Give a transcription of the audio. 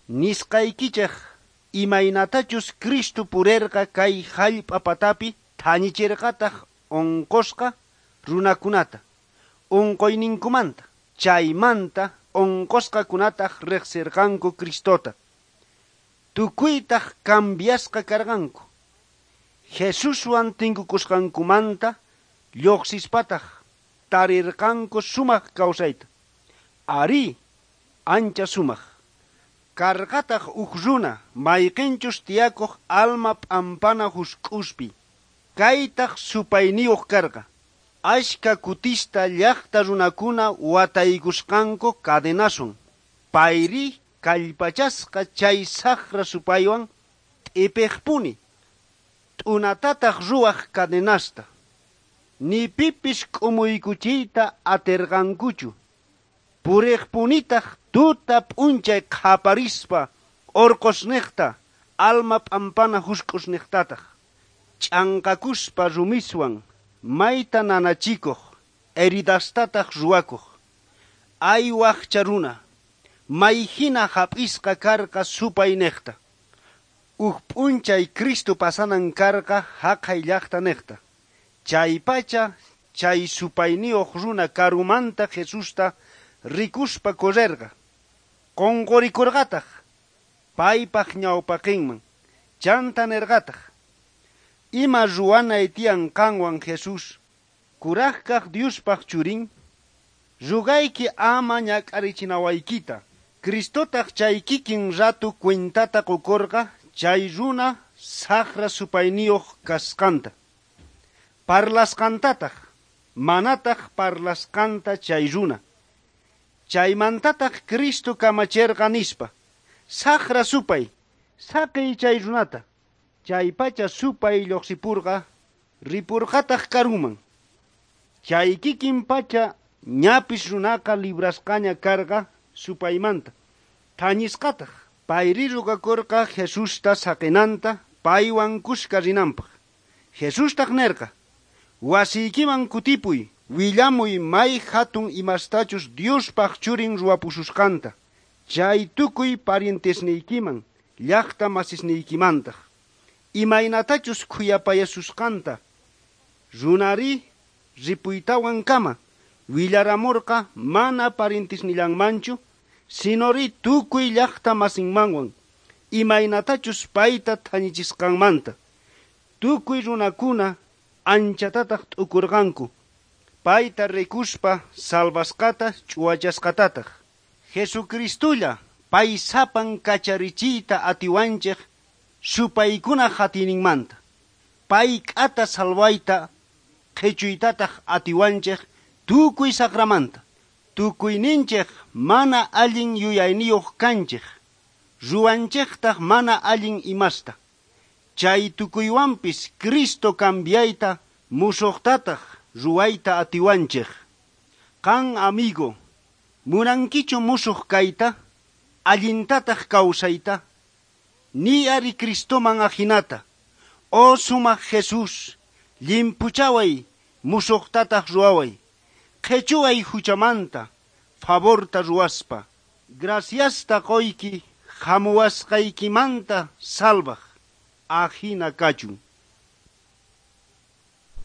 Nisqaykichej imaynatachus Cristo purerqa kay jallp'a patapi thañicherqataj onqosqa runakunata onqoyninkumanta. Chaymanta onqosqakunataj rejserqanku Cristota. Tukuytaj cambiasqa karqanku. Jesuswan tinkukusqankumanta lluqsispataj tarirqanku sumaq kawsayta. Arí, ancha sumaq. Karqataq uj runa mayqinchus tiyakuq alma p'ampana husk'uspi. Kaytaq supayniyuq karqa. Ashka kutista llaqta runakuna wataykusqanku cadenaswan. Payri kallpachasqa chay saqra supaywan t'ipiqpuni. T'unatataq ruwaq cadenasta. Ni pipis k'umuykuchiyta atirqankuchu. Puriqpunitaq tuta p'unchay qhaparispa orqosniqta alma p'ampana husk'usniqtataq. Ch'anqakuspa rumiswan mayta nanachikuq heridastataq ruwakuq. Ay waqcha runa, mayhina hap'isqa karqa supayniqta. Uj p'unchay Cristo pasanan karqa haqhay llaqta niqta. Chaypacha chay supayniyuq runa karumanta Jesusta rikuspa correrqa. Qunqurikurqataq paypaq ñawpaqinman. Chanta nerqataq: Ima ruwanay tiyan qanwan Jesús, kurajkaq Diospaq churin, rugayki ama ñak'arichinawaykita. Cristotaq chay kikin ratu cuentata qukurqa chay runa saqra supayniyuq kasqanta. Parlasqantataq, manataq parlasqanta chay runa. Chaymantataq Cristo kamacherqa nispa: Saqra supay, saqiy chay runata. Chaypacha supay lluqsipurqa, ripurqataq karuman. Chay kikin pacha ñapis runaqa librasqaña karqa supaymanta. Thañisqataq payri rugakurqa Jesusta saqinanta paywan kuska rinanpaq. Jesustaq nerqa: Wasiykiman kutipuy, willamuy may hatun imastachus Diospaq churin ruwapususqanta. Chay tukuy parientesniykiman, llaqta masisniykimantaq. Imaynatachus khuyapayasusqanta. Runari ripuytawan kama willaramurqa mana parientesnillanmanchu, sinori tukuy llaqta masinmanwan, imaynatachus payta thañichisqanmanta. Tukuy runakuna anchatataq t'ukurqanku. Payta rikuspa salvasqata ch'uwachasqatataq. Jesucristolla pay sapan kacharichiyta atiwanchej supaykuna hatininmanta. Pay k'ata salvayta qhichuytataq atiwanchej tukuy saqramanta. Tukuyninchej mana allin yuyayniyuq kanchej. Ruwanchejtaq mana allin imasta. Chay tukuywanpis Cristo cambiayta musuqtataq ruwayta atiwanchej. Qan amigo, munankichu musuq kayta, allintataq kawsayta? Ni ari Cristoman ajinata. Oh sumaq Jesús, llimpuchaway musuqtataq ruwaway. Qhichuway huchamanta, favorta ruwaspa. Graciasta qoyki hamuwasqaykimanta salvaj. Ajina kachun.